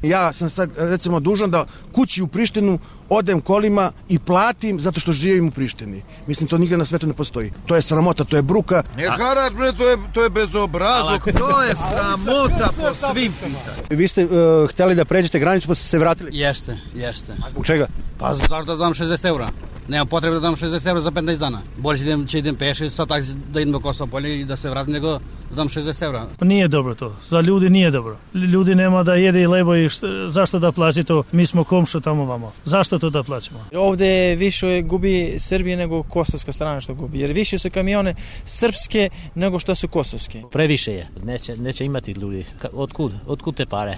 Ja sam sad recimo dužan da kući u Prištinu odem kolima i platim zato što živim u Prištini. Mislim, to nigde na svetu ne postoji. To je sramota, to je bruka. Ne harač, bre, to je bezobrazluk. To je sramota po svim pitanjima. Vi ste htjeli da pređete granicu pa ste se vratili? Jeste. A zbog čega? Pa zašto da dam 60 eura? Nemam potrebe da dam 60 eura za 15 dana. Bolje će idem peši sa taksi da idem do Kosova polje i da se vratim nego da dam 60 eura. Pa nije dobro to. Za ljudi nije dobro. Ljudi nema da jede i lebo i zašto da plaći to? Mi smo komšu tamo vamo. Zašto to da plaćamo? Ovde više gubi Srbije nego kosovska strana što gubi. Jer više su kamione srpske nego što su kosovske. Previše je. Neće imati ljudi. Otkud te pare?